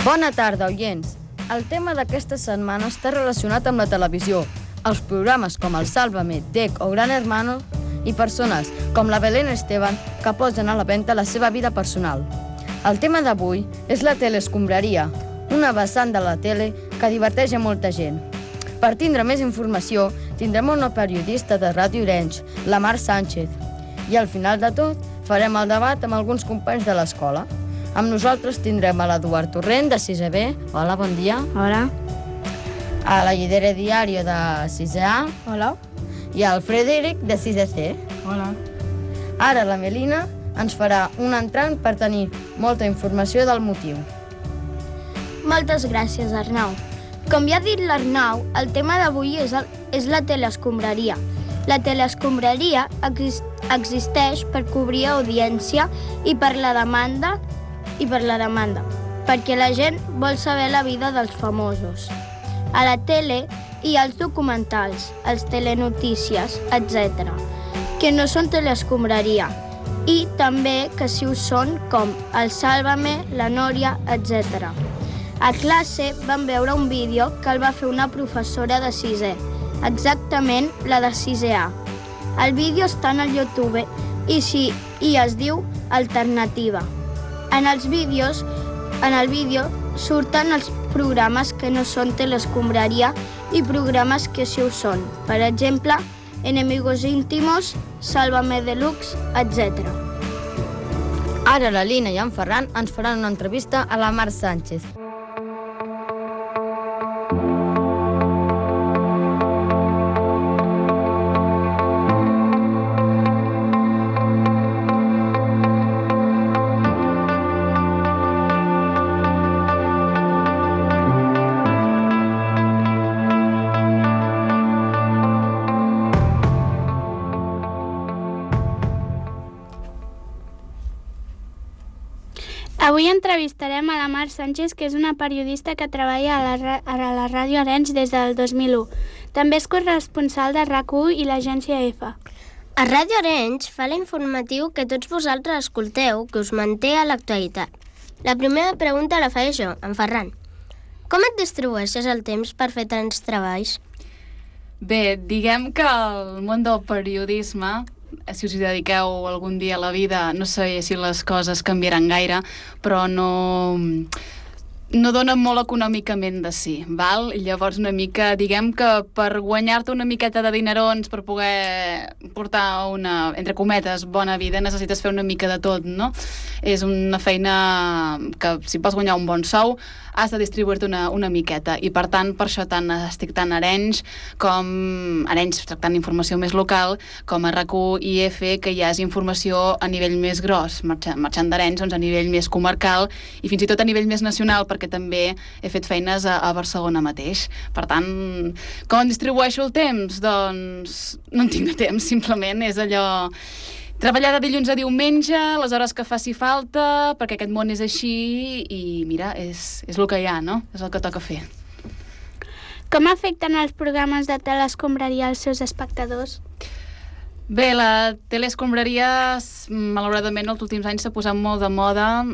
Bona tarda, oients. El tema d'aquesta setmana està relacionat amb la televisió. Els programes com el Sálvame, DEC o Gran Hermano i persones com la Belén Esteban que posen a la venda la seva vida personal. El tema d'avui és la teleescombraria, una vessant de la tele que diverteix a molta gent. Per tindre més informació, tindrem una periodista de Ràdio Arenys, la Mar Sánchez. I al final de tot, farem el debat amb alguns companys de l'escola. Amb nosaltres tindrem a l'Eduard Torrent, de 6è B. Hola, bon dia. Hola. A la Lledera Diària, de 6è A. Hola. I al Frederic, de 6è C. Hola. Ara la Melina ens farà un entrant per tenir molta informació del motiu. Moltes gràcies, Arnau. Com ja ha dit l'Arnau, el tema d'avui és la teleescombraria. La teleescombraria existeix per cobrir audiència i per la demanda, perquè la gent vol saber la vida dels famosos. A la tele hi ha els documentals, els telenotícies, etc., que no són teleescombraria, i també que sí ho són, com el Sálvame, la Nòria, etc. A classe vam veure un vídeo que el va fer una professora de 6è, exactament la de 6è A. El vídeo està en el YouTube i es diu Alternativa. En el vídeo surten els programes que no són teleescombraria i programes que sí ho són. Per exemple, Enemigos íntimos, Sálvame Deluxe, etc. Ara la Lina i en Ferran ens faran una entrevista a la Mar Sánchez. Avui entrevistarem a la Mar Sánchez, que és una periodista que treballa a la Ràdio Arenys des del 2001. També és corresponsal de RAC1 i l'agència EFA. A Ràdio Arenys fa l'informatiu que tots vosaltres escolteu, que us manté a l'actualitat. La primera pregunta la faré jo, en Ferran. Com et distribueixes el temps per fer tants treballs? Bé, diguem que el món del periodisme, si us hi dediqueu algun dia a la vida, no sé si les coses canviaran gaire, però no dona molt econòmicament de sí, val? Llavors una mica, diguem que per guanyar-te una miqueta de dinerons, per poder portar una, entre cometes, bona vida, necessites fer una mica de tot, no? És una feina que si vols guanyar un bon sou, has de distribuir-te una miqueta, i per tant, per això estic tant a Arenys, com Arenys tractant informació més local, com a RAC1 i EFE, que ja és informació a nivell més gros, marxant d'Arenys, doncs a nivell més comarcal, i fins i tot a nivell més nacional, perquè també he fet feines a Barcelona mateix. Per tant, com em distribueixo el temps? Doncs no en tinc de temps, simplement és allò... Treballar de dilluns a diumenge, les hores que faci falta, perquè aquest món és així i mira, és el que hi ha, no? És el que toca fer. Com afecten els programes de teleescombraria als seus espectadors? Bé, la teleescombraria, malauradament, els últims anys s'ha posat molt de moda,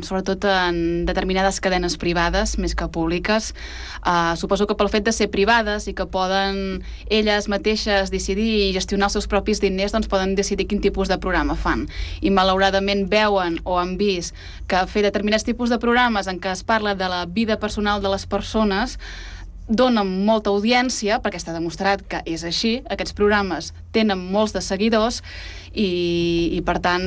sobretot en determinades cadenes privades, més que públiques. Suposo que pel fet de ser privades i que poden elles mateixes decidir i gestionar els seus propis diners, doncs poden decidir quin tipus de programa fan. I malauradament veuen o han vist que fer determinats tipus de programes en què es parla de la vida personal de les persones donen molta audiència, perquè està demostrat que és així, aquests programes tenen molts de seguidors i per tant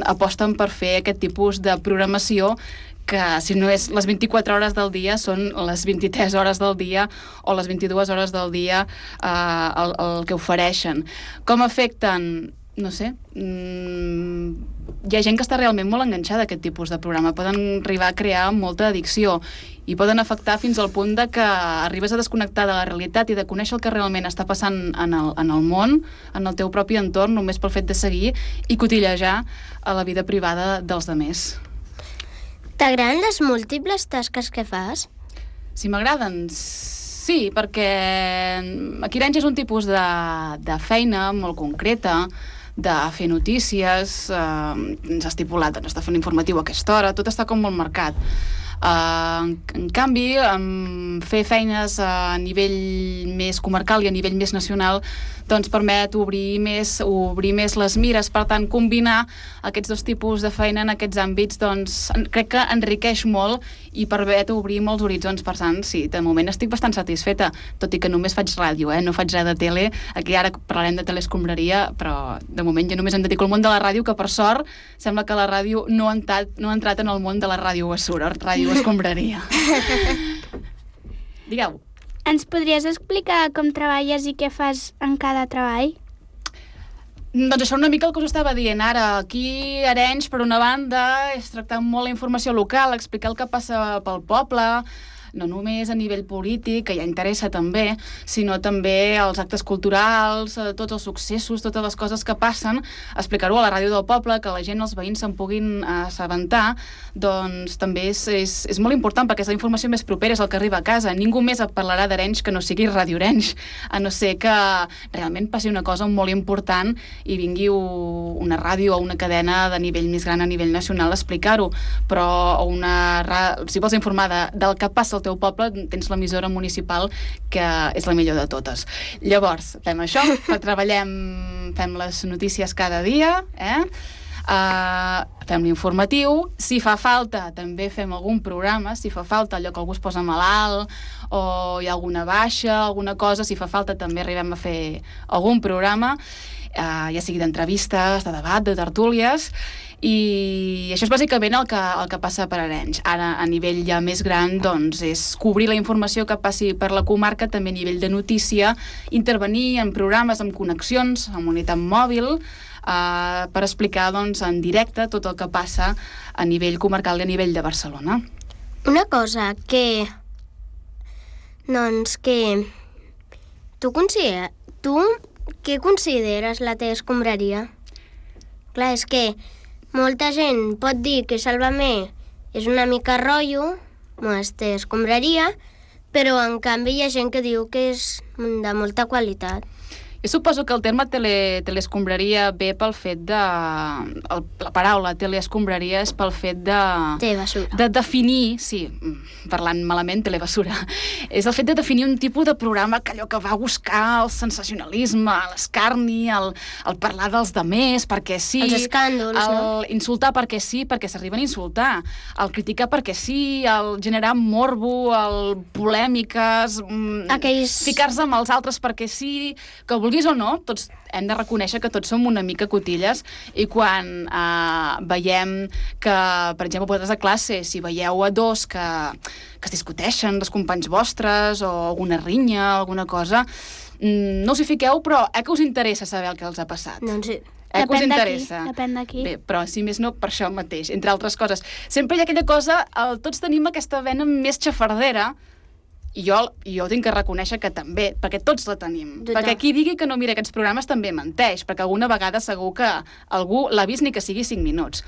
aposten per fer aquest tipus de programació que si no és les 24 hores del dia són les 23 hores del dia o les 22 hores del dia el que ofereixen. Com afecten? No sé, hi ha gent que està realment molt enganxada a aquest tipus de programa, poden arribar a crear molta addicció i poden afectar fins al punt de que arribes a desconnectar de la realitat i de conèixer el que realment està passant en el món, en el teu propi entorn, només pel fet de seguir i cotillejar a la vida privada dels demés. T'agraden les múltiples tasques que fas? Si m'agraden, sí, perquè aquí Arenys és un tipus de feina molt concreta, de fer notícies, ens ha estipulat, doncs, de fer un informatiu a aquesta hora, tot està com molt marcat. En canvi, fer feines a nivell més comarcal i a nivell més nacional doncs permet obrir més les mires. Per tant, combinar aquests dos tipus de feina en aquests àmbits doncs crec que enriqueix molt i permet obrir molts horitzons. Per tant, sí, de moment estic bastant satisfeta, tot i que només faig ràdio, no faig res de tele. Aquí ara parlarem de teleescombraria, però de moment jo només em dedico al món de la ràdio, que per sort sembla que la ràdio no ha entrat en el món de la ràdio basura, ràdio escombraria. Digueu. Ens podries explicar com treballes i què fas en cada treball? Doncs això una mica el que us estava dient ara. Aquí a Arenys, per una banda, és tractar molt la informació local, explicar el que passa pel poble, no només a nivell polític, que ja interessa també, sinó també els actes culturals, tots els successos, totes les coses que passen, explicar-ho a la ràdio del poble, que la gent, els veïns se'n puguin assabentar, doncs també és molt important, perquè és la informació més propera, és el que arriba a casa. Ningú més et parlarà d'Arenys que no sigui Ràdio Arenys, a no ser que realment passi una cosa molt important i vingui una ràdio o una cadena de nivell més gran a nivell nacional a explicar-ho, però si vols informar del que passa al teu poble, tens l'emissora municipal, que és la millor de totes. Llavors, fem això, fem les notícies cada dia, fem l'informatiu, si fa falta també fem algun programa, si fa falta allò que algú es posa malalt o hi ha alguna baixa, alguna cosa, si fa falta també arribem a fer algun programa, ja sigui d'entrevistes, de debat, de tertúlies, i això és bàsicament el que passa per Arenys. Ara, a nivell ja més gran, doncs, és cobrir la informació que passi per la comarca, també a nivell de notícia, intervenir en programes, en connexions, amb unitat mòbil, per explicar doncs, en directe tot el que passa a nivell comarcal i a nivell de Barcelona. Una cosa que tu què consideres la teva escombraria? Clar, és que molta gent pot dir que Sálvame és una mica rotllo, escombraria, però en canvi hi ha gent que diu que és de molta qualitat. Jo suposo que el terme teleescombraria ve pel fet de... La paraula teleescombraria és pel fet de... Telebasura. De definir, sí, parlant malament, telebasura. És el fet de definir un tipus de programa que allò que va buscar el sensacionalisme, l'escarni, el parlar dels demés, perquè sí... Els escàndols, no? El insultar perquè sí, perquè s'arriben a insultar. El criticar perquè sí, el generar morbo, el polèmiques... Ficar-se amb els altres perquè sí, que vulguis o no, tots hem de reconèixer que tots som una mica cotilles i quan veiem que, per exemple, vosaltres a classe, si veieu a dos que es discuteixen, dels companys vostres o alguna rinya, alguna cosa, no us hi fiqueu, però que us interessa saber el que els ha passat. Doncs sí. Que us interessa. Depèn d'aquí. Bé, però si més no, per això mateix, entre altres coses. Sempre hi ha aquella cosa, tots tenim aquesta vena més xafardera, i jo tinc que reconèixer que també, perquè tots la tenim. Total. Perquè qui digui que no mira aquests programes també menteix, perquè alguna vegada segur que algú l'ha vist ni que sigui 5 minuts.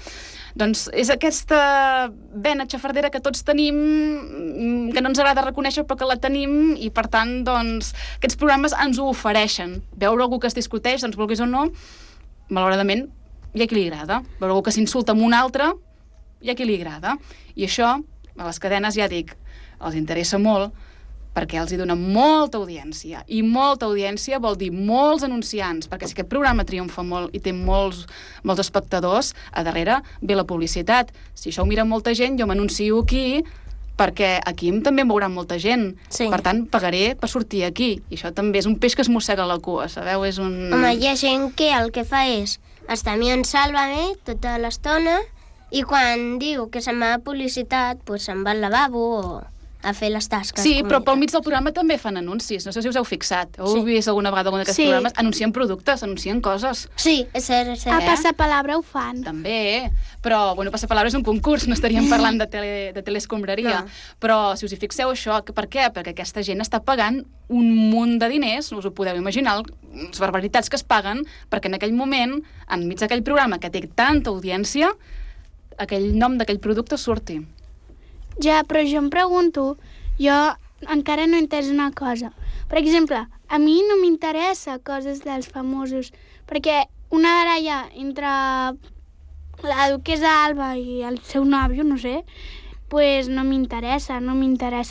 Doncs és aquesta vena xafardera que tots tenim, que no ens agrada reconèixer però que la tenim, i per tant, doncs, aquests programes ens ho ofereixen. Veure algú que es discuteix, doncs vulguis o no, malauradament, hi ha qui li agrada. Veure algú que s'insulta amb un altre, hi ha qui li agrada. I això, a les cadenes, ja dic, els interessa molt, perquè els hi dona molta audiència, i molta audiència vol dir molts anunciants, perquè si aquest programa triomfa molt i té molts espectadors, a darrere ve la publicitat. Si això ho mira molta gent, jo m'anuncio aquí, perquè aquí també em veurà molta gent. Sí. Per tant, pagaré per sortir aquí. I això també és un peix que es mossega la cua, sabeu? És un... Home, hi ha gent que el que fa és estar mirant Sálvame tota l'estona i quan diu que se'n va a publicitat, doncs se'n va al lavabo o a fer les tasques. Sí, però pel mig del programa també fan anuncis. No sé si us heu fixat. Heu vist alguna vegada algun d'aquests programes? Anuncien productes, anuncien coses. Sí, és cert, és cert. A Passapalabra ho fan. També, però, bueno, Passapalabra és un concurs, no estaríem parlant de teleescombraria. No. Però, si us hi fixeu, això, per què? Perquè aquesta gent està pagant un munt de diners, no us ho podeu imaginar, les barbaritats que es paguen, perquè en aquell moment, enmig d'aquell programa que té tanta audiència, aquell nom d'aquell producte surti. Ja, però jo em pregunto, jo encara no he entès una cosa. Per exemple, a mi no m'interessa coses dels famosos, perquè una baralla entre la duquesa Alba i el seu nòvio, no sé, pues no m'interessa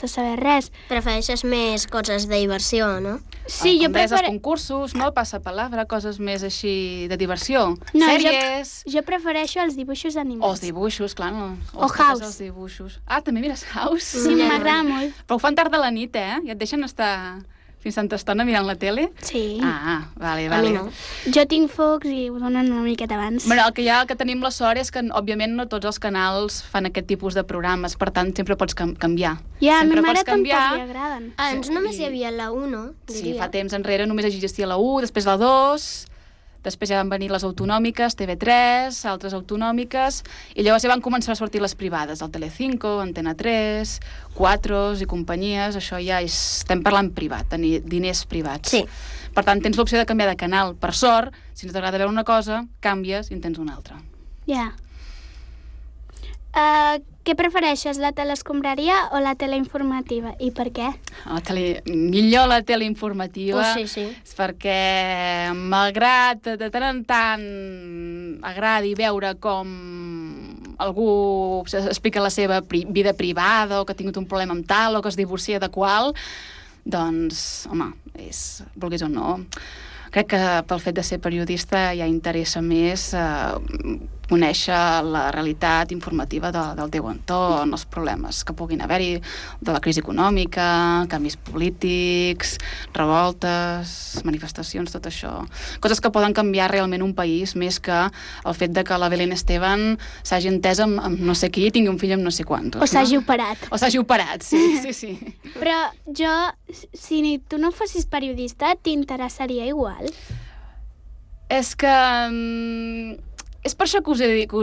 saber res. Prefereixes més coses de diversió, no? Sí, jo Els concursos, no? Passapalabra, coses més així de diversió. No, Sèries... Jo prefereixo els dibuixos animats. O els dibuixos, clar. No? O House. Els dibuixos. Ah, també mires House? Sí, m'agrada molt. Però ho fan tard de la nit, eh? I et deixen estar fins tanta estona mirant la tele? Sí. Ah, vale. A mi no. Jo tinc focs i ho donen una miqueta abans. Bueno, el que tenim la sort és que, òbviament, no tots els canals fan aquest tipus de programes, per tant, sempre pots canviar. Ja, a sempre ma mare pots canviar. tampoc li agraden. Abans només hi havia la 1, diria. Sí, fa temps enrere només existia la 1, després la 2... Després ja van venir les autonòmiques, TV3, altres autonòmiques, i llavors ja van començar a sortir les privades, el Telecinco, Antena 3, Quatros i companyies, això ja estem parlant privat, tenir diners privats. Sí. Per tant, tens l'opció de canviar de canal. Per sort, si no t'agrada veure una cosa, canvies i en tens una altra. Ja. Què prefereixes, la teleescombraria o la teleinformativa? I per què? Millor la teleinformativa, sí. perquè malgrat de tant en tant agradi veure com algú explica la seva vida privada o que ha tingut un problema amb tal o que es divorcia de qual, doncs, home, vulguis o no, crec que pel fet de ser periodista ja interessa més conèixer la realitat informativa del teu entorn, els problemes que puguin haver-hi, de la crisi econòmica, canvis polítics, revoltes, manifestacions, tot això. Coses que poden canviar realment un país, més que el fet de que la Belén Esteban s'hagi entès amb no sé qui i tingui un fill amb no sé quantos. O s'hagi operat. O s'hagi operat, sí. Però jo, si tu no fossis periodista, t'interessaria igual? És que... és per això que us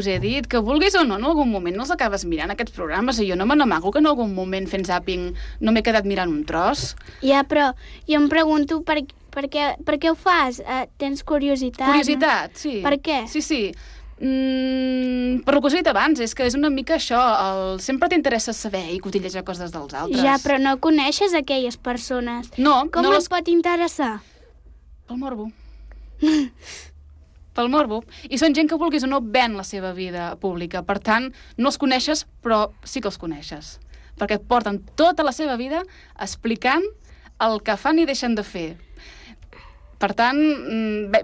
he dit, que vulguis o no, en algun moment no els acabes mirant aquests programes, i jo no me n'amago que en algun moment fent zàping no m'he quedat mirant un tros. Ja, però jo em pregunto per què ho fas? Tens curiositat? Curiositat, sí. Per què? Sí. Per el que us he dit abans, és que és una mica això, sempre t'interessa saber i cotillejar coses dels altres. Ja, però no coneixes aquelles persones. No. Com et pot interessar? Pel morbo. Pel morbo. I són gent que vulguis o no ven la seva vida pública. Per tant, no els coneixes, però sí que els coneixes. Perquè porten tota la seva vida explicant el que fan i deixen de fer. Per tant,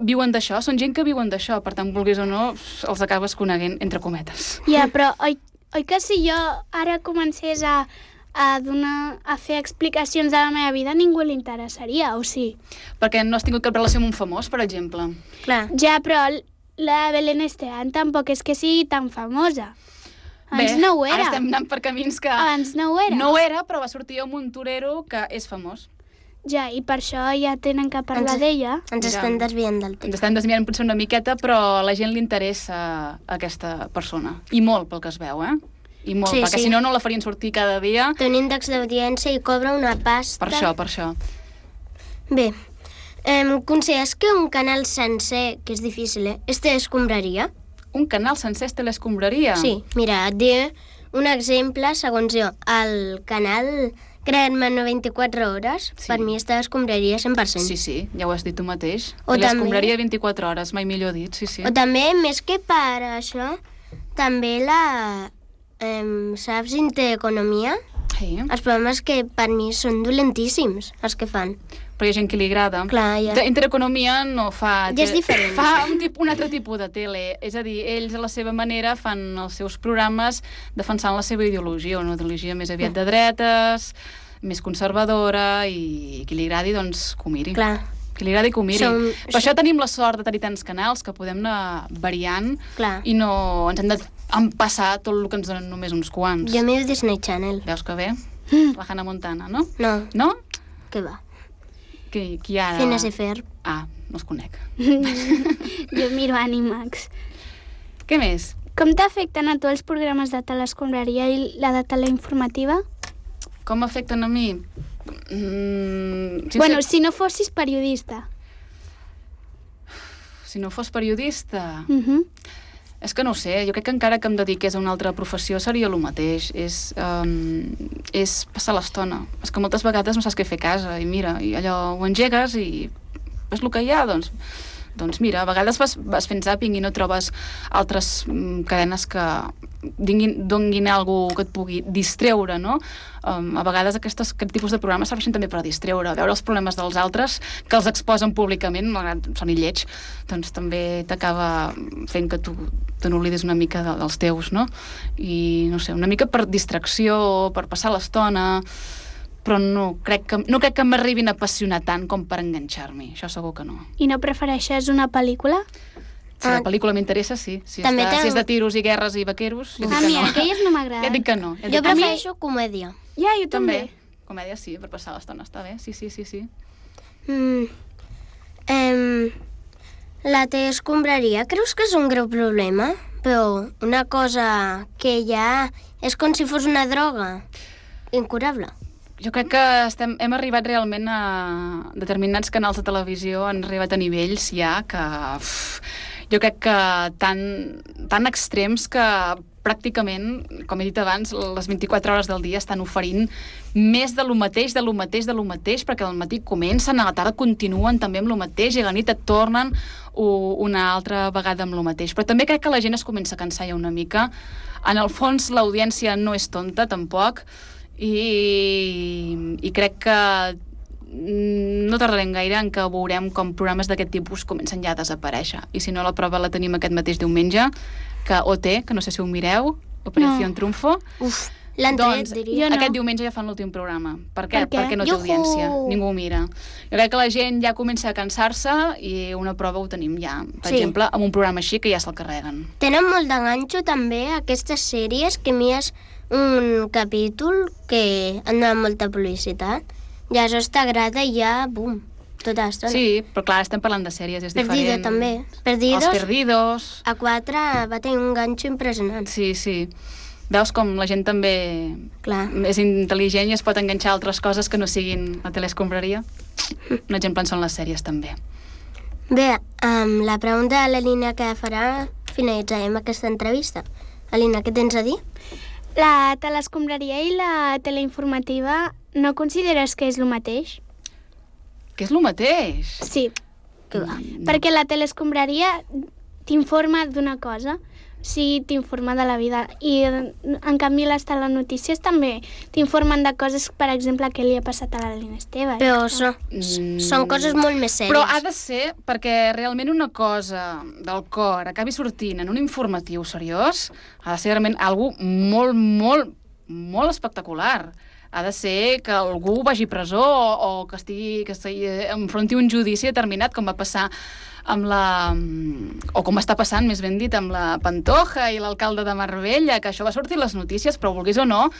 viuen d'això. Són gent que viuen d'això. Per tant, vulguis o no, els acabes coneguent entre cometes. Ja, però oi que si jo ara comencés a fer explicacions de la meva vida, ningú li interessaria, o sí? Perquè no has tingut cap relació amb un famós, per exemple. Clar. Ja, però la Belén Esteban tampoc és que sigui tan famosa. Abans no ho era. Ara estem anant per camins que... Abans no ho era. No ho era, però va sortir un torero que és famós. Ja, i per això ja tenen que parlar d'ella. Ens estem desviant del temps. Ens estem desviant potser una miqueta, però a la gent li interessa aquesta persona. I molt, pel que es veu, I molt, perquè si no la farien sortir cada dia. Té un índex d'audiència i cobra una pasta. Per això. Bé, consideres que un canal sencer, que és difícil, és telescombraria? Un canal sencer és telescombraria? Sí, mira, et diré un exemple, segons jo. El canal Crear-me 24 hores, per mi és telescombraria 100%. Sí, ja ho has dit tu mateix. O telescombraria 24 hores, mai millor dit, sí. O també, més que per això, també saps, Intereconomia? Sí. Els programes que per mi són dolentíssims, els que fan. Però hi ha gent que li agrada. Clar, ja. Intereconomia no fa... Ja és diferent. Fa un altre tipus de tele. És a dir, ells a la seva manera fan els seus programes defensant la seva ideologia, una ideologia més aviat de dretes, més conservadora, i qui li agradi, doncs, que ho miri. Clar. Que li agradi que ho miri. Per això tenim la sort de tenir tants canals que podem anar variant. Clar. I no ens hem de empassar tot el que ens donen només uns quants. Jo miro Disney Channel. Veus que bé? La Hannah Montana, no? No. No? Què va? Qui ara... Phineas i Ferb. Ah, no els conec. Jo miro Animax. Què més? Com t'afecten a tu els programes de telescombraria i la de teleinformativa? Com m'afecten a mi? Bueno, si no fossis periodista. Si no fos periodista... És que no ho sé, jo crec que encara que em dediqués a una altra professió seria el mateix, és passar l'estona. És que moltes vegades no saps què fer a casa, i mira, i allò ho engegues i és el que hi ha, doncs mira, a vegades vas fent zàping i no trobes altres cadenes que donguin alguna que et pugui distreure, no? A vegades aquest tipus de programes serveixen també per distreure, veure els problemes dels altres que els exposen públicament, malgrat són lleig, doncs també t'acaba fent que tu te n'oblides una mica dels teus, no? I no sé, una mica per distracció, per passar l'estona, però no crec que m'arribin a apassionar tant com per enganxar-m'hi, això segur que no. I no prefereixes una pel·lícula? Si la pel·lícula m'interessa, sí. Si és de tiros i guerres i vaqueros, ja dic que no. Mira, aquelles no m'agraden. Ja dic que no. Jo prefereixo comèdia. Ja, jo també. Comèdia sí, per passar l'estona està bé, sí. La escombraria, creus que és un greu problema? Però una cosa que ja és com si fos una droga incurable. Jo crec que hem arribat realment a determinats canals de televisió, han arribat a nivells ja que... jo crec que tan extrems que pràcticament, com he dit abans, les 24 hores del dia estan oferint més de lo mateix, perquè al matí comencen, a la tarda continuen també amb lo mateix i a la nit et tornen una altra vegada amb lo mateix. Però també crec que la gent es comença a cansar ja una mica. En el fons, l'audiència no és tonta, tampoc, i crec que no tardarem gaire en que veurem com programes d'aquest tipus comencen ja a desaparèixer. I si no, la prova la tenim aquest mateix diumenge, que OT, que no sé si ho mireu, Operación Triunfo. L'han tret, diria. Aquest diumenge ja fan l'últim programa. Per què? Perquè no té audiència. Ningú ho mira. Jo crec que la gent ja comença a cansar-se i una prova ho tenim ja. Per exemple, amb un programa així que ja se'l carreguen. Tenen molt d'enganxo també aquestes sèries que mires un capítol que han donat molta publicitat. Ja això t'agrada i ja, bum, tota l'estona. Sí, però clar, estem parlant de sèries, és diferent. Perdido també. Els Perdidos. A 4 va tenir un ganxo impressionant. Sí. Veus com la gent també és intel·ligent i es pot enganxar a altres coses que no siguin la teleescombraria. Un exemple en són les sèries també. Bé, amb la pregunta de l'Alina que farà, finalitzarem aquesta entrevista. Alina, què tens a dir? La teleescombraria i la teleinformativa no consideres que és el mateix? Que és el mateix? Sí. Perquè la teleescombraria t'informa d'una cosa, sí, t'informa de la vida, i en canvi les telenotícies també t'informen de coses, per exemple, què li ha passat a l'Alina Esteve. Però són coses molt més sèries. Però ha de ser perquè realment una cosa del cor acabi sortint en un informatiu seriós, ha de ser realment algo molt, molt, molt espectacular. Ha de ser que algú vagi a presó o que enfronti un judici determinat, com va passar amb o com està passant, més ben dit, amb la Pantoja i l'alcalde de Marbella, que això va sortir a les notícies, però vulguis o no,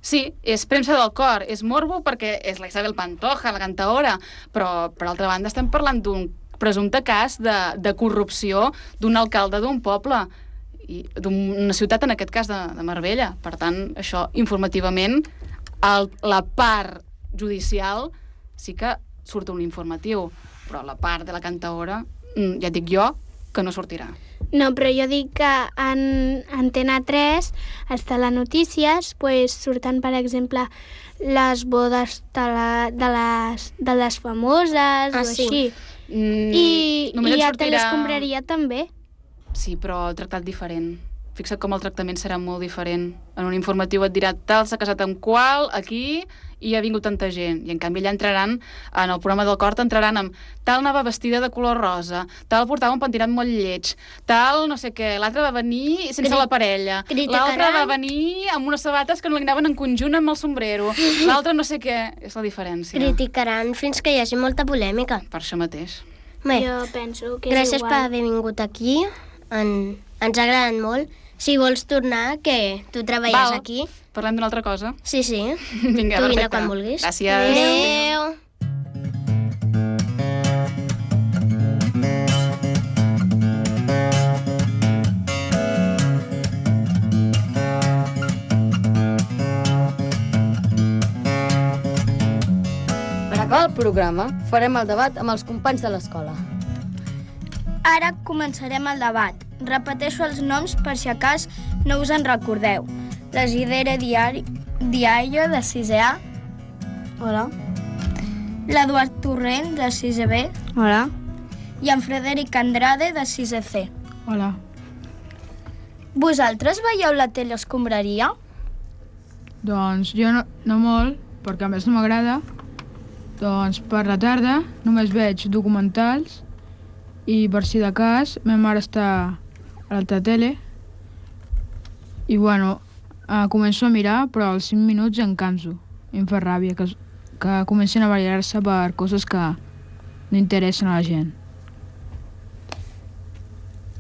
sí, és premsa del cor, és morbo perquè és la Isabel Pantoja, la cantaora, però per altra banda estem parlant d'un presumpte cas de corrupció d'un alcalde d'un poble, i d'una ciutat, en aquest cas de Marbella. Per tant, això informativament, la part judicial sí que surt un informatiu, però la part de la cantaora, ja et dic jo, que no sortirà. No, però jo dic que en Antena 3, les telenotícies, surten, per exemple, les bodes de les famoses o així. I a telescombraria també. Sí, però tractat diferent. Fixa't com el tractament serà molt diferent. En un informatiu et dirà tal s'ha casat amb qual, aquí, i ha vingut tanta gent. I en canvi allà entraran, en el programa del Cort, entraran amb tal anava vestida de color rosa, tal portava un pentinat molt lleig, tal no sé què, l'altre va venir sense la parella, l'altre va venir amb unes sabates que no li anaven en conjunt amb el sombrero, l'altre no sé què. És la diferència. Criticaran fins que hi hagi molta polèmica. Per això mateix. Bé, jo penso que és gràcies igual. per haver vingut aquí. Ens ha agradat molt. Si vols tornar, que tu treballes aquí. Parlem d'una altra cosa. Sí. Vinga, tu perfecte. vine quan vulguis. Gràcies. Adéu. Per acabar el programa, farem el debat amb els companys de l'escola. Ara començarem el debat. Repeteixo els noms per si a cas no us en recordeu. La Isidere Diaio, de 6è A. Hola. L'Eduard Torrent, de 6è B. Hola. I en Frederic Andrade, de 6è C. Hola. Vosaltres veieu la tele escombraria? Doncs jo no molt, perquè a més no m'agrada. Doncs per la tarda només veig documentals i per si de cas ma mare està a l'altra tele i bueno, començo a mirar però als 5 minuts em canso i em fa ràbia que comencin a barallar-se per coses que no interessen a la gent.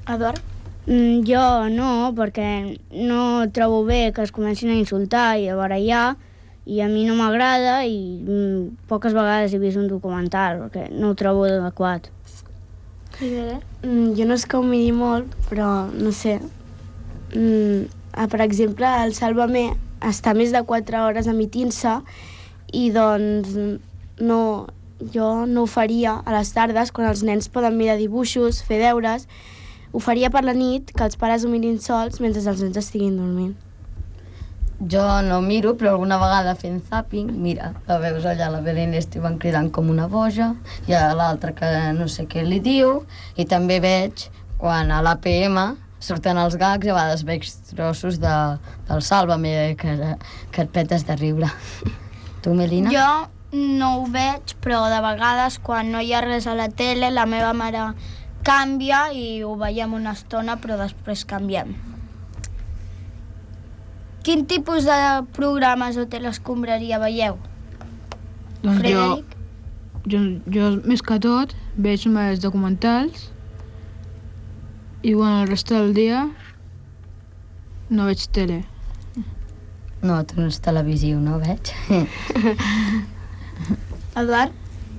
Eduard? Jo no, perquè no trobo bé que es comencin a insultar i a barallar i a mi no m'agrada i poques vegades he vist un documental perquè no ho trobo adequat. Jo no és que ho miri molt, però no sé. Per exemple, el Sálvame està més de 4 hores emitint-se i doncs jo no ho faria a les tardes quan els nens poden mirar dibuixos, fer deures. Ho faria per la nit, que els pares ho mirin sols mentre els nens estiguin dormint. Jo no miro, però alguna vegada fent zapping, mira, la veus allà la Belén Esteban cridant com una boja, i a l'altra que no sé què li diu, i també veig quan a l'APM surten els gags i a vegades veig trossos del Sálvame que et petes de riure. Tu, Melina? Jo no ho veig, però de vegades quan no hi ha res a la tele la meva mare canvia i ho veiem una estona però després canviem. Quin tipus de programes o telescombraria veieu? Doncs Frederic? jo més que tot veig més documentals i bueno, el resta del dia no veig tele. No, tu no és televisiu, no veig? Eduard?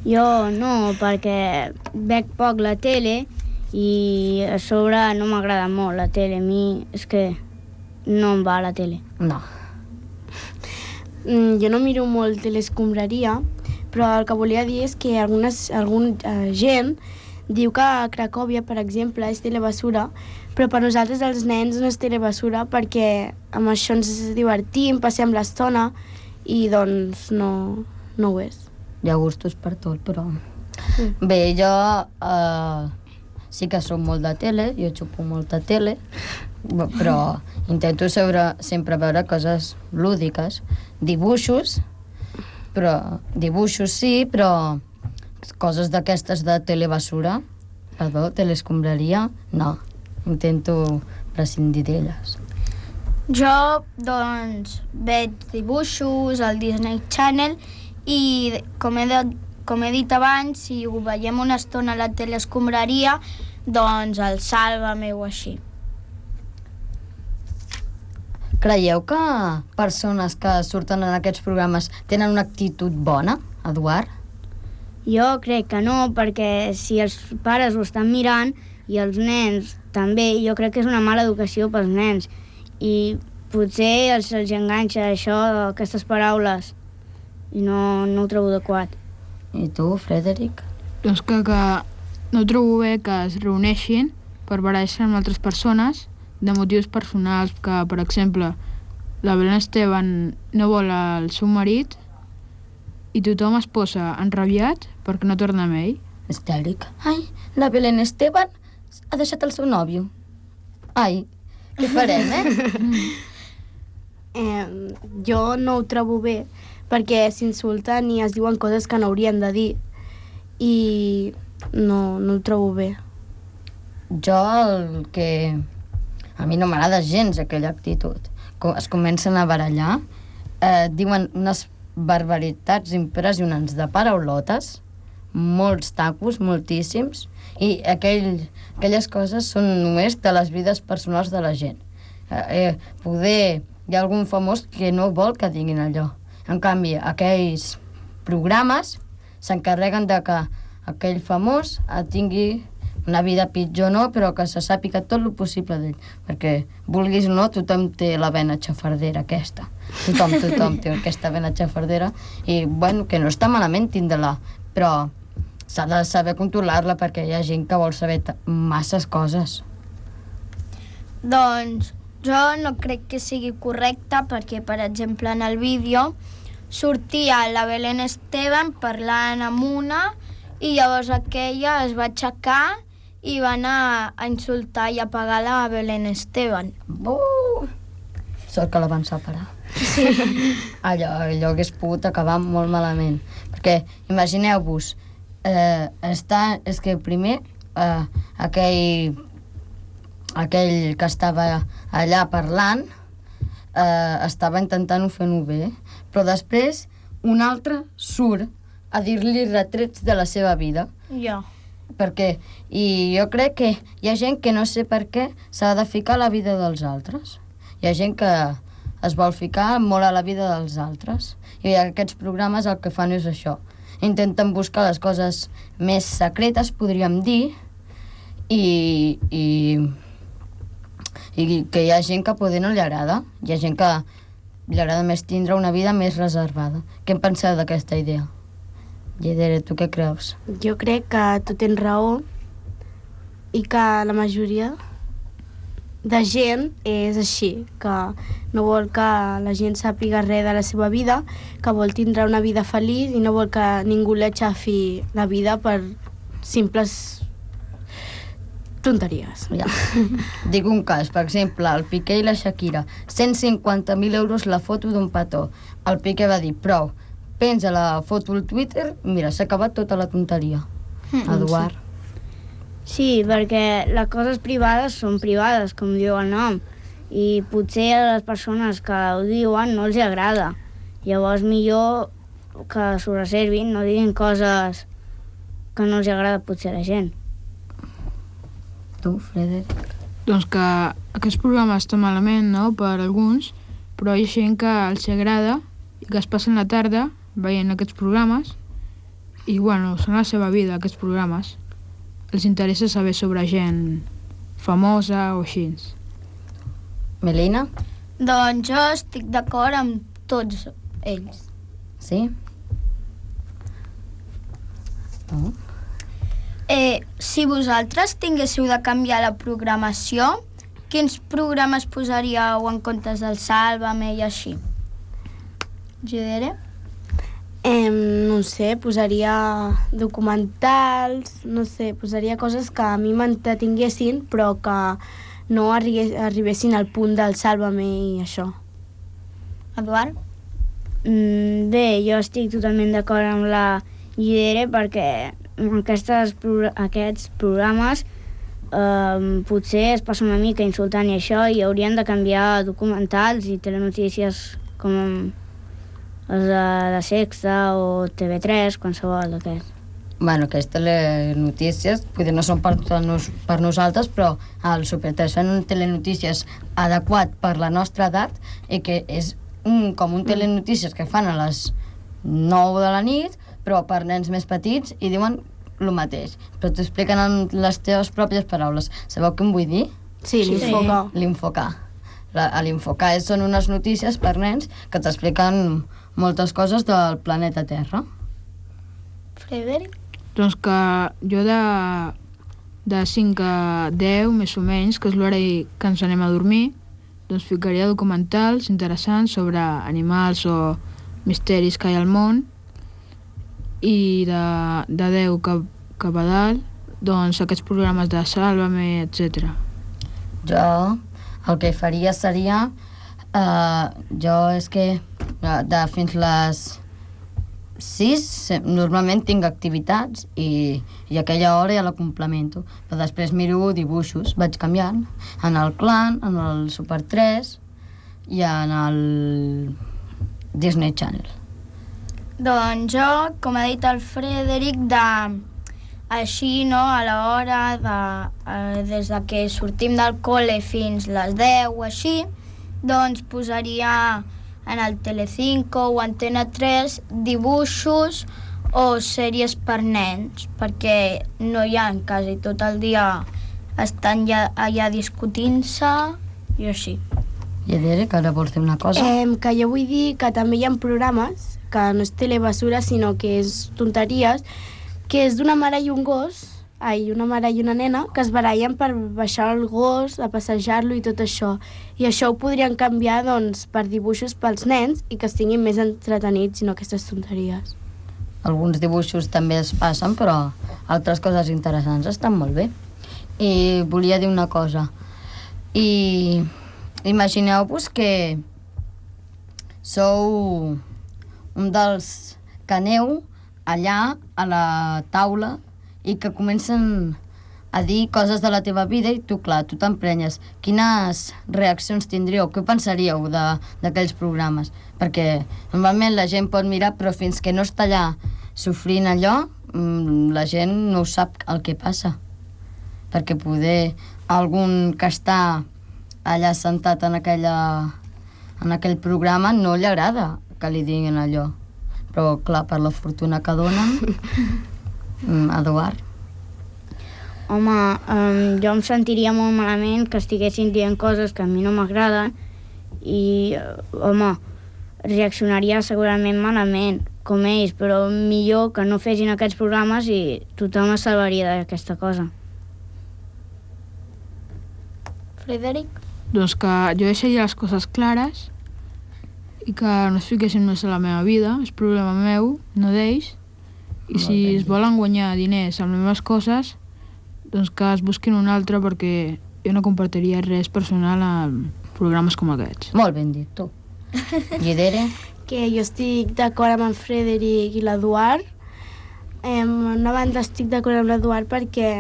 Jo no, perquè veig poc la tele i a sobre no m'agrada molt la tele. A mi és que no em va la tele. No. Jo no miro molt telescombraria, però el que volia dir és que alguna gent diu que a Cracòvia, per exemple, és telebasura, però per nosaltres els nens no és telebasura perquè amb això ens divertim, passem l'estona i doncs no ho és. Hi ha gustos per tot, però... Bé, jo sí que soc molt de tele, jo xupo molta tele, però intento sempre veure coses lúdiques, dibuixos sí, però coses d'aquestes de telebasura, telescombraria, no, intento prescindir d'elles. Jo, doncs, veig dibuixos al Disney Channel i, com he dit abans, si ho veiem una estona a la telescombraria, doncs el Sálvame o així. Creieu que persones que surten en aquests programes tenen una actitud bona, Eduard? Jo crec que no, perquè si els pares ho estan mirant i els nens també, jo crec que és una mala educació pels nens i potser els enganxa això, aquestes paraules, i no ho trobo adequat. I tu, Frederic? Doncs que no trobo bé que es reuneixin per barallar-se amb altres persones de motius personals, que, per exemple, la Belén Esteban no vol el seu marit i tothom es posa enrabiat perquè no torna amb ell. Histèric. Ai, la Belén Esteban ha deixat el seu nòvio. Ai, què farem, Jo no ho trobo bé perquè s'insulten i es diuen coses que no haurien de dir i no ho trobo bé. Jo el que... A mi no m'agrada gens aquella actitud. Es comencen a barallar, diuen unes barbaritats impressionants de paraulotes, molts tacos, moltíssims, i aquelles coses són només de les vides personals de la gent. Poder hi ha algun famós que no vol que diguin allò. En canvi, aquells programes s'encarreguen de que aquell famós tingui una vida pitjor no, però que se sàpiga tot el possible d'ell. Perquè, vulguis o no, tothom té la vena xafardera aquesta. Tothom té aquesta vena xafardera. I, bueno, que no està malament tindre-la, però s'ha de saber controlar-la perquè hi ha gent que vol saber masses coses. Doncs jo no crec que sigui correcte perquè, per exemple, en el vídeo sortia la Belén Esteban parlant amb una i llavors aquella es va aixecar i van a insultar i a pegar la Belén Esteban. Sort que la van separar. Sí. Allò hagués pogut acabar molt malament. Perquè imagineu-vos, és que primer aquell que estava allà parlant estava intentant fer-ho bé, però després un altre surt a dir-li retrets de la seva vida. Ja. I jo crec que hi ha gent que no sé per què s'ha de ficar a la vida dels altres. Hi ha gent que es vol ficar molt a la vida dels altres. I aquests programes el que fan és això. Intenten buscar les coses més secretes, podríem dir, i que hi ha gent que poder no li agrada. Hi ha gent que li agrada més tindre una vida més reservada. Què en penseu d'aquesta idea? Lledere, tu què creus? Jo crec que tu tens raó i que la majoria de gent és així, que no vol que la gent sàpiga res de la seva vida, que vol tindre una vida feliç i no vol que ningú li aixafi la vida per simples tonteries. Ja. Dic un cas, per exemple, el Piqué i la Shakira. 150.000 euros la foto d'un petó. El Piqué va dir, prou, penja la foto al Twitter, mira, s'ha acabat tota la tonteria. Eduard. Sí, perquè les coses privades són privades, com diu el nom, i potser a les persones que ho diuen no els agrada. Llavors millor que s'ho reservin, no diguin coses que no els agrada potser a la gent. Tu, Frederic? Doncs que aquest programa està malament, no?, per alguns, però hi ha gent que els agrada i que es passen la tarda veient aquests programes i, bueno, són la seva vida, aquests programes. Els interessa saber sobre gent famosa o així. Melina? Doncs jo estic d'acord amb tots ells. Sí? No? Si vosaltres tinguéssiu de canviar la programació, quins programes posaríeu en comptes del Sálvame i així? Gidere? No sé, posaria documentals, no sé, posaria coses que a mi m'entretinguessin però que no arribessin al punt del Sálvame i això. Eduard? Bé, jo estic totalment d'acord amb la Gidere perquè aquests programes potser es passa una mica insultant i això i haurien de canviar documentals i telenotícies com els de Sexta o TV3, qualsevol d'aquests. Bueno, aquestes telenotícies potser no són per nosaltres, però al Super 3 fan telenotícies adequat per la nostra edat i que és com un telenotícies que fan a les 9 de la nit, però per nens més petits i diuen el mateix, però t'ho expliquen en les teves pròpies paraules. Sabeu què em vull dir? Sí, l'Infocar. L'Infocar. L'Infocar són unes notícies per nens que t'expliquen moltes coses del planeta Terra. Frederic? Doncs que jo de 5 a 10, més o menys, que és l'hora que ens anem a dormir, doncs ficaria documentals interessants sobre animals o misteris que hi ha al món, i de 10 cap a dalt, doncs aquests programes de Sálvame, etc. Jo el que faria seria jo és que fins les 6 normalment tinc activitats i aquella hora ja la complemento, però després miro dibuixos, vaig canviant en el Clan, en el Super 3 i en el Disney Channel. Doncs jo, com ha dit el Frederic, així, no, a l'hora des de que sortim del col·le fins les 10 o així, doncs posaria en el Telecinco o Antena 3 dibuixos o sèries per nens, perquè no hi ha quasi tot el dia estan allà discutint-se i així. I Adere, que ara vols dir una cosa? Que jo vull dir que també hi ha programes que no és telebasura, sinó que és tonteries, que és d'una mare i un gos, una mare i una nena, que es barallen per baixar el gos, a passejar-lo i tot això. I això ho podrien canviar, doncs, per dibuixos pels nens i que estiguin més entretenits i no aquestes tonteries. Alguns dibuixos també es passen, però altres coses interessants estan molt bé. i volia dir una cosa. I imagineu-vos que sou un dels que aneu allà a la taula i que comencen a dir coses de la teva vida i tu, clar, tu t'emprenyes. Quines reaccions tindríeu? Què pensaríeu d'aquells programes? Perquè normalment la gent pot mirar, però fins que no està allà sofrint allò, la gent no sap el que passa. Perquè poder algun que està allà sentat en aquell programa no li agrada que li diguin allò. Però, clar, per la fortuna que donen, Eduard. Home, jo em sentiria molt malament que estiguessin dient coses que a mi no m'agraden i, home, reaccionaria segurament malament, com ells, però millor que no fessin aquests programes i tothom es salvaria d'aquesta cosa. Frederic? Doncs que jo deixaria les coses clares i que no es fiquessin més a la meva vida, és problema meu, no d'ells, i si es volen guanyar diners amb les meves coses, doncs que es busquin un altre, perquè jo no compartiria res personal en programes com aquests. Molt ben dit, tu. Guidere? Que jo estic d'acord amb en Frederic i l'Eduard. Una banda estic d'acord amb l'Eduard perquè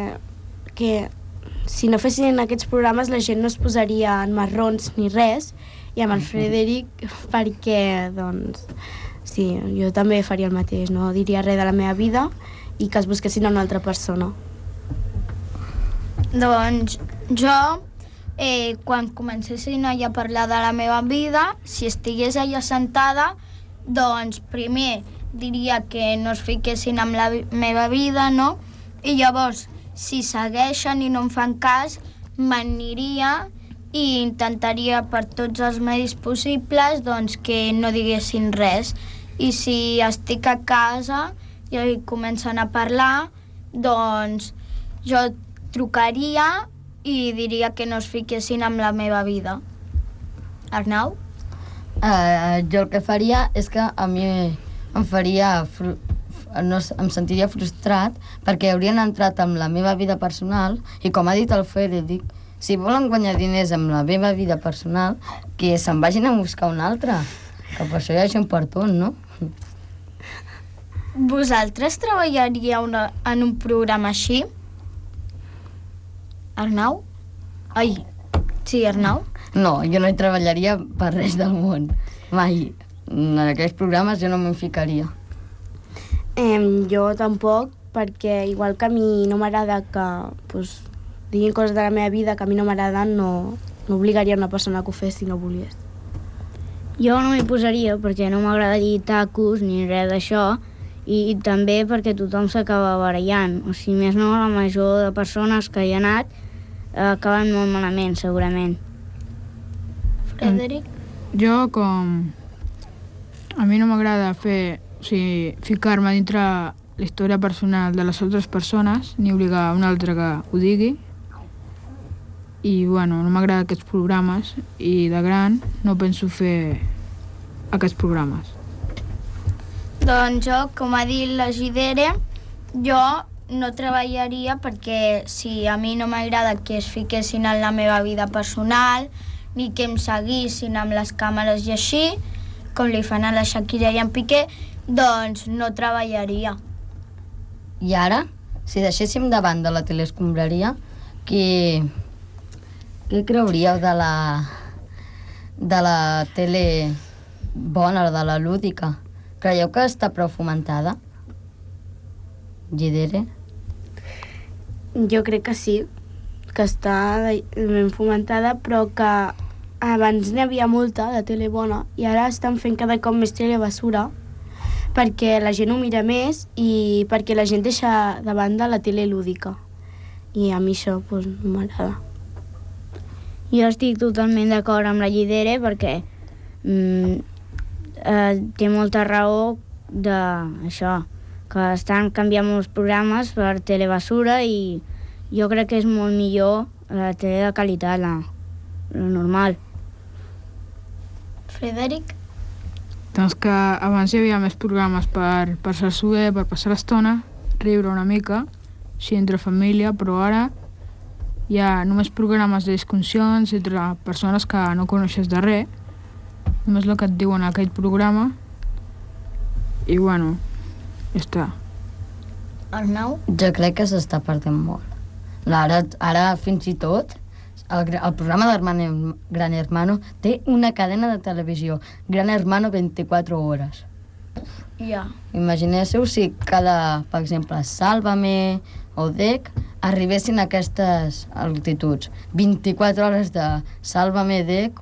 si no fessin aquests programes la gent no es posaria en marrons ni res, i amb el Frederic perquè, doncs, sí, jo també faria el mateix, no diria res de la meva vida i que es busquessin una altra persona. Doncs jo, quan comencessin allà a parlar de la meva vida, si estigués allà sentada, doncs primer diria que no es fiquessin amb la meva vida, no? I llavors, si segueixen i no em fan cas, m'aniria i intentaria per tots els medis possibles doncs, que no diguessin res. I si estic a casa i comencen a parlar, doncs jo trucaria i diria que no es fiquessin amb la meva vida. Arnau? Jo el que faria és que a mi em faria... em sentiria frustrat perquè haurien entrat en la meva vida personal i, com ha dit el Frederic, si volen guanyar diners amb la meva vida personal, que se'n vagin a buscar un altre, que per això hi ha gent per tot, no? Vosaltres treballaríeu en un programa així? Arnau? Ai, sí, Arnau? No, jo no hi treballaria per res del món, mai. En aquells programes jo no m'hi ficaria. Jo tampoc, perquè igual que a mi no m'agrada que diguin coses de la meva vida que a mi no m'agraden, no obligaria una persona que ho fes si no volies. Jo no m'hi posaria perquè no m'agrada dir tacos ni res d'això, i també perquè tothom s'acaba barallant. O sigui, més no, la major de persones que hi ha anat acaben molt malament, segurament. Frederic? Jo, com a mi no m'agrada ficar-me dintre la història personal de les altres persones, ni obligar un altre que ho digui, i bueno, no m'agrada aquests programes, i de gran no penso fer aquests programes. Doncs jo, com ha dit la Gidere, jo no treballaria perquè si a mi no m'agrada que es fiquessin en la meva vida personal ni que em seguissin amb les càmeres i així, com li fan a la Shakira i en Piqué, doncs no treballaria. I ara, si deixéssim de banda la teleescombraria, què creuríeu de la tele bona, de la lúdica? Creieu que està prou fomentada? Gidere? Jo crec que sí, que està ben fomentada, però que abans n'hi havia molta de tele bona i ara estan fent cada cop més tele basura perquè la gent ho mira més i perquè la gent deixa de banda la tele lúdica. I a mi això no m'agrada. Jo estic totalment d'acord amb la Gidere perquè té molta raó d'això, que estan canviant molts programes per telebasura i jo crec que és molt millor la tele de qualitat, la normal. Frederic? Doncs que abans hi havia més programes per passar-s'ho bé, per passar l'estona, riure una mica, així entre família, però ara hi ha només programes de discussions entre persones que no coneixes de res, només el que et diuen en aquell programa, i bueno, ja està. Arnau? Jo crec que s'està perdent molt. Ara fins i tot, el programa de Gran Hermano té una cadena de televisió, Gran Hermano 24 hores. Ja. Imagineu-vos si cada, per exemple, Sálvame o DEC arribessin a aquestes altituds. 24 hores de Sálvame, DEC...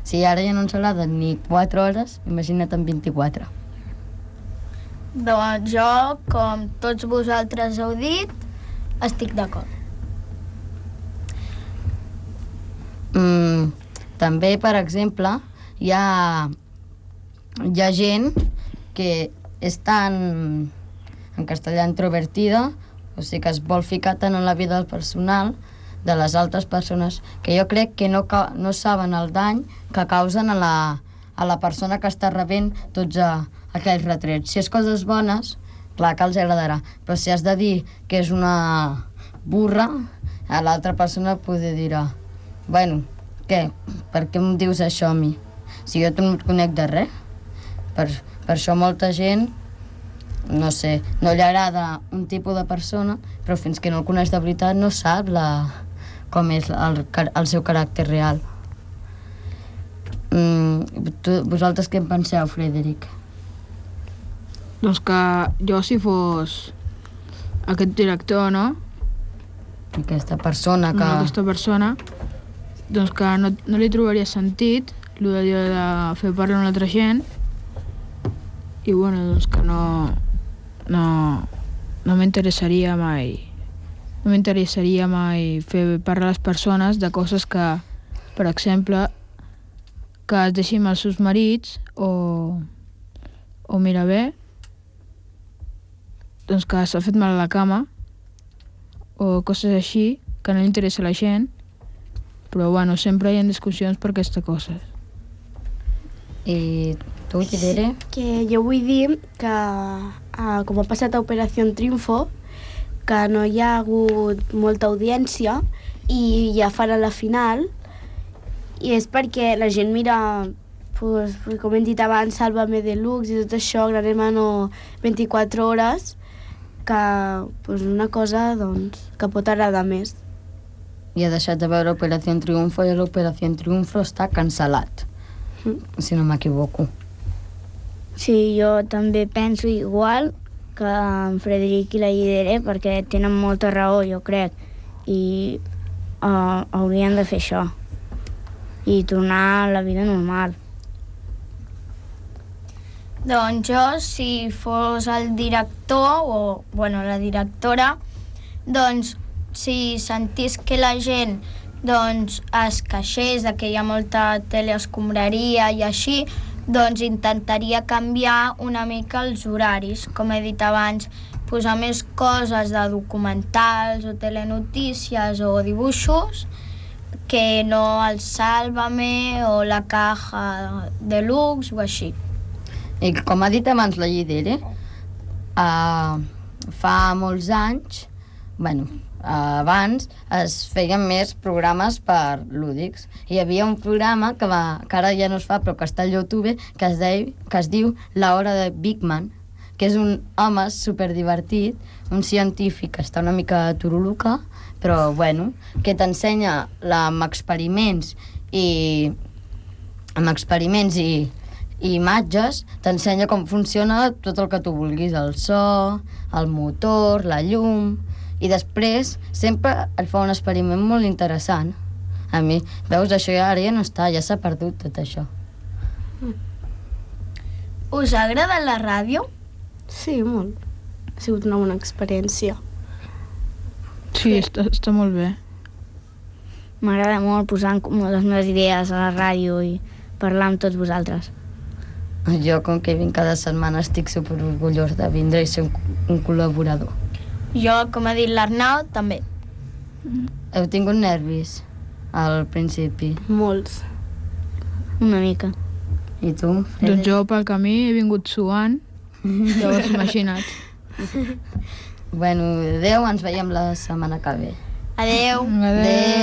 Si ara ja no ens agraden ni 4 hores, imagina't en 24. Doncs jo, com tots vosaltres heu dit, estic d'acord. També, per exemple, hi ha gent que és tan, en castellà, introvertida, o sigui que es vol ficar tant en la vida personal de les altres persones, que jo crec que no saben el dany que causen a la persona que està rebent tots aquells retrets. Si és coses bones, clar que els agradarà, però si has de dir que és una burra, a l'altra persona poder dirà: bueno, què? Per què em dius això a mi? Si jo no et conec de res. Per això molta gent, no sé, no li agrada un tipus de persona, però fins que no el coneix de veritat no sap com és el seu caràcter real. Vosaltres què en penseu, Frederic? Doncs que jo, si fos aquest director, no? Aquesta persona que... Aquesta persona, doncs que no li trobaria sentit el de fer parlar a una altra gent, i bueno, doncs que no m'interessaria mai fer parlar a les persones de coses que, per exemple, que es deixin els seus marits o mira bé, doncs que s'ha fet mal a la cama o coses així que no li interessa a la gent, però bueno, sempre hi ha discussions per aquestes coses. I tu, Gidere? Que jo vull dir que, com ha passat a Operació Triunfo, que no hi ha hagut molta audiència i ja farà la final, i és perquè la gent mira, pues, com hem dit abans, Sálvame Deluxe i tot això, Gran Hermano 24 hores, que pues, una cosa doncs, que pot agradar més. I ha deixat de veure Operació Triunfo i l'Operació Triunfo està cancel·lat, si no m'equivoco. Sí, jo també penso igual que en Frederic i la Gidere, perquè tenen molta raó, jo crec, i haurien de fer això i tornar a la vida normal. Doncs jo, si fos el director o, bueno, la directora, doncs si sentís que la gent doncs, es queixés de que hi ha molta teleescombraria i així, doncs intentaria canviar una mica els horaris, com he dit abans, posar més coses de documentals o telenotícies o dibuixos que no el Sálvame o la Caja Deluxe o així. I com ha dit abans la Gidere, fa molts anys, abans es feien més programes per lúdics. Hi havia un programa que ara ja no es fa, però que està a YouTube, que es diu La Hora de Big Man, que és un home superdivertit, un científic que està una mica turuluca, però bueno, que t'ensenya amb experiments i imatges, t'ensenya com funciona tot el que tu vulguis, el so, el motor, la llum, i després sempre et fa un experiment molt interessant. A mi, veus, això ara ja no està, ja s'ha perdut tot això. Us ha agradat la ràdio? Sí, molt. Ha sigut una bona experiència. Sí, està molt bé. M'agrada molt posar les meves idees a la ràdio i parlar amb tots vosaltres. Jo, com que vinc cada setmana, estic superorgullós de vindre i ser un col·laborador. Jo, com ha dit l'Arnau, també. Heu tingut nervis al principi? Molts. Una mica. I tu, Frederic? Doncs jo pel camí he vingut suant, llavors imagina't. Bueno, adeu, ens veiem la setmana que ve. Adeu. Adéu.